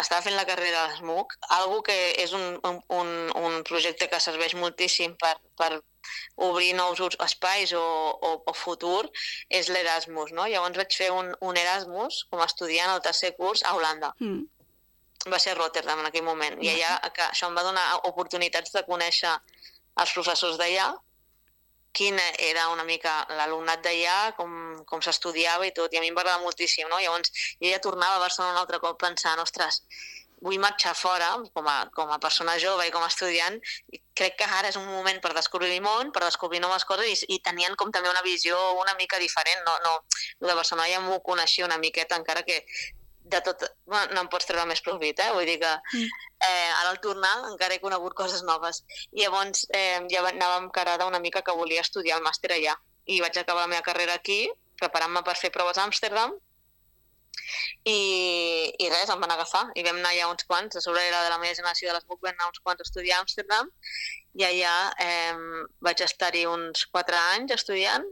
quan estava fent la carrera a l'SMUC, algo que és un projecte que serveix moltíssim per obrir nous espais o futur, és l'Erasmus, no? Llavors vaig fer un Erasmus com a estudiant al tercer curs a Holanda. Va ser a Rotterdam en aquell moment, i allà això em va donar oportunitats de conèixer els professors d'allà, quin era una mica l'alumnat d'allà, com s'estudiava i tot, i a mi em va agradar moltíssim, no? Llavors jo ja tornava a Barcelona un altre cop pensant, ostres, vull marxar fora com a persona jove i com a estudiant, i crec que ara és un moment per descobrir el món, per descobrir noves coses, i tenien com també una visió una mica diferent, no de Barcelona ja m'ho coneixia una miqueta, encara que de tot, bueno, no em pots treure més profit, vull dir que ara al tornar encara he conegut coses noves, i llavors ja anava encarada una mica que volia estudiar el màster allà, i vaig acabar la meva carrera aquí, preparant-me per fer proves a Amsterdam, i res, em van agafar, i vam anar allà uns quants, a sobre era de la meva generació de l'SMUC, vam anar uns quants a estudiar a Amsterdam, i allà vaig estar-hi uns 4 anys estudiant,